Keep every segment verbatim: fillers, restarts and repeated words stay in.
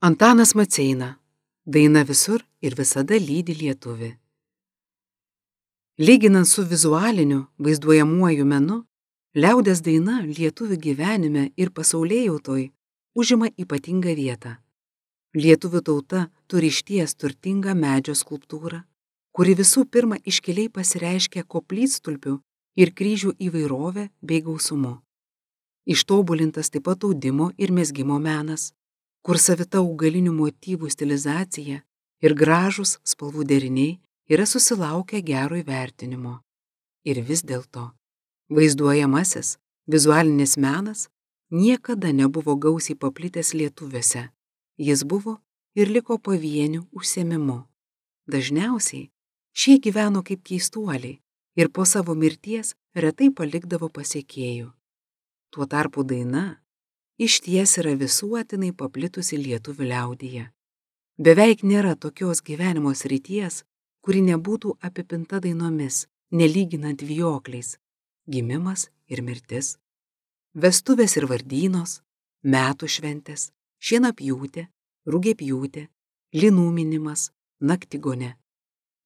Antanas Maceina. Daina visur ir visada lydi lietuvį. Lyginant su vizualiniu, vaizduojamuoju menu, liaudies daina lietuvių gyvenime ir pasaulėjautoj užima ypatingą vietą. Lietuvių tauta turi išties turtingą medžio skulptūrą, kuri visų pirma iškiliai pasireiškia koplytstulpių ir kryžių įvairovė bei gausumu. Ištobulintas taip pat audimo ir mezgimo menas, kur savita augalinių motyvų stilizacija ir gražūs spalvų deriniai yra susilaukę gero įvertinimo. Ir vis dėlto, vaizduojamasis, vizualinis menas niekada nebuvo gausiai paplitęs lietuviuose. Jis buvo ir liko pavienių užsiėmimu. Dažniausiai šie gyveno kaip keistuoliai ir po savo mirties retai palikdavo pasekėjų. Tuo tarpu daina išties yra visuotinai paplitusi lietuvių liaudyje. Beveik nėra tokios gyvenimo srities, kuri nebūtų apipinta dainomis, nelyginant vijokliais, gimimas ir mirtis, vestuvės ir vardynos, metų šventės, šienapjūtė, rugiapjūtė, linų minimas, naktigonė,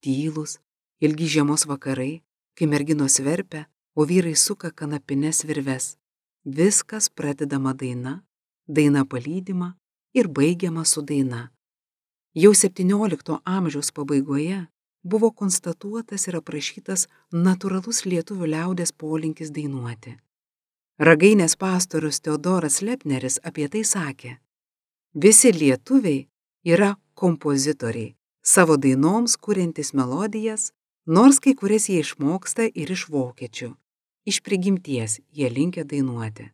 tylūs, ilgi žiemos vakarai, kai merginos verpia, o vyrai suka kanapines virves. Viskas pradedama daina, daina palydima ir baigiama su daina. Jau septyniolikto amžiaus pabaigoje buvo konstatuotas ir aprašytas natūralus lietuvių liaudies polinkis dainuoti. Ragainės pastorius Teodoras Lepneris apie tai sakė: visi lietuviai yra kompozitoriai, savo dainoms kuriantis melodijas, nors kai kurias jie išmoksta ir iš vokiečių. Iš prigimties jie linkę dainuoti.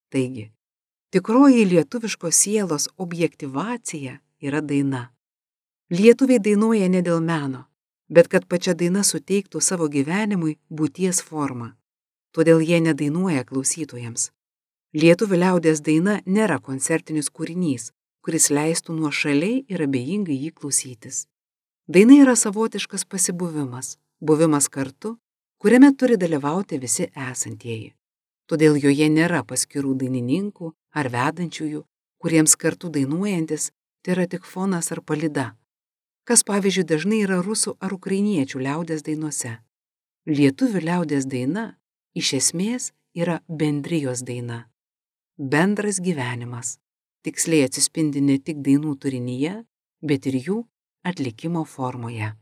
Taigi, tikroji lietuviškos sielos objektyvacija yra daina. Lietuviai dainuoja ne dėl meno, bet kad pačia daina suteiktų savo gyvenimui būties formą. Todėl jie nedainuoja klausytojams. Lietuvių liaudies daina nėra koncertinis kūrinys, kuris leistų nuošaliai ir abejingai jį klausytis. Daina yra savotiškas pasibuvimas, buvimas kartu, kuriame turi dalyvauti visi esantieji. Todėl joje nėra paskirų dainininkų ar vedančiųjų, kuriems kartu dainuojantis tai yra tik fonas ar palyda, kas pavyzdžiui dažnai yra rusų ar ukrainiečių liaudies dainose. Lietuvių liaudies daina iš esmės yra bendrijos daina. Bendras gyvenimas tiksliai atsispindi ne tik dainų turinyje, bet ir jų atlikimo formoje.